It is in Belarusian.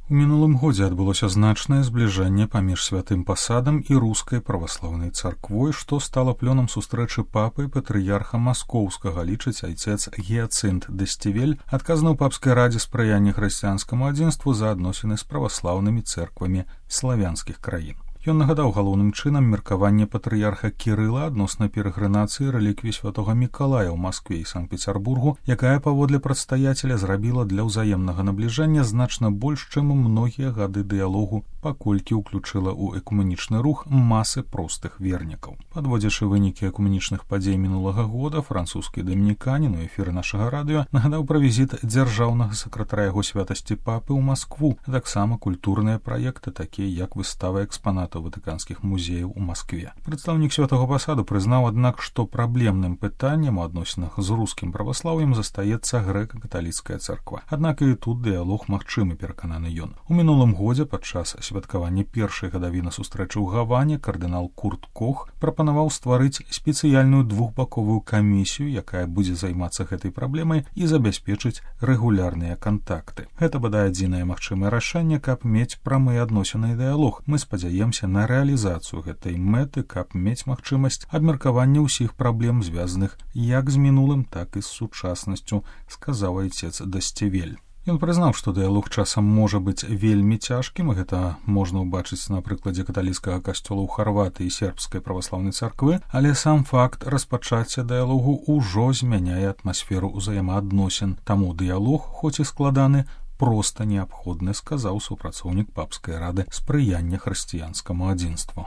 У мінулым годзе адбылося значнае збліжэнне паміж святым пасадам і рускай праваслаўнай царквой, што стала плёнам сустрэчы папы і патрыярха маскоўскага, лічыць айцец Гіяцынт Дэсцівель, адказны ў папскай радзе спрыяння хрысціянскаму адзінству за адносіны з праваслаўнымі цэрквамі славянскіх краін. Ён нагадаў галоўным чынам меркаванне патрыярха Кірыла адносна перагрынацыі рэліквій святога Мікалая ў Маскве і Санкт-Пецярбургу, якая, паводле прадстаяцеля, зрабіла для ўзаемнага набліжання значна больш, чым многія гады дыялогу, паколькі ўключыла ў экумэнічны рух масы простых вернікаў. Падводзячы вынікі экумэнічных падзей мінулага года, французскі дамініканін у эфіры нашага радыё нагадаў пра візіт дзяржаўнага сакратара яго святасці папы ў Маскву, а таксама культурныя праекты, такія як выстава экспанатаў ватыканскіх музеяў у Маскве. Прадстаўнік святога пасаду прызнаў, аднак, што праблемным пытаннем у адносінах з рускім праваслаўем застаецца грэка-каталіцкая царква. Аднак і тут дыялог магчымы, перакананы ён. У мінулым годзе падчас святкавання першай гадавіны сустрэчы ў Гаване кардынал Курт Кох прапанаваў стварыць спецыяльную двухбаковую камісію, якая будзе займацца гэтай праблемай і забяспечыць рэгулярныя кантакты. Гэта бадай адзінае магчымае рашэнне, каб мець прамыя адносіны і дыялог. Мы спадзяемся на рэалізацыю гэтай мэты, каб мець магчымасць абмеркавання ўсіх праблем, звязаных як з мінулым, так і з сучаснасцю, сказаў айцец Дэсцівель. Ён прызнаў, што дыялог часам можа быць вельмі цяжкім, і гэта можна ўбачыць на прыкладзе каталіцкага касцёла ў Харватыі і сербскай праваслаўнай царквы, але сам факт распачацця дыялогу ўжо змяняе атмасферу ўзаемаадносін. Таму дыялог, хоць і складаны, проста неабходны, сказаў супрацоўнік папскай рады спрыяння хрысціянскаму адзінству.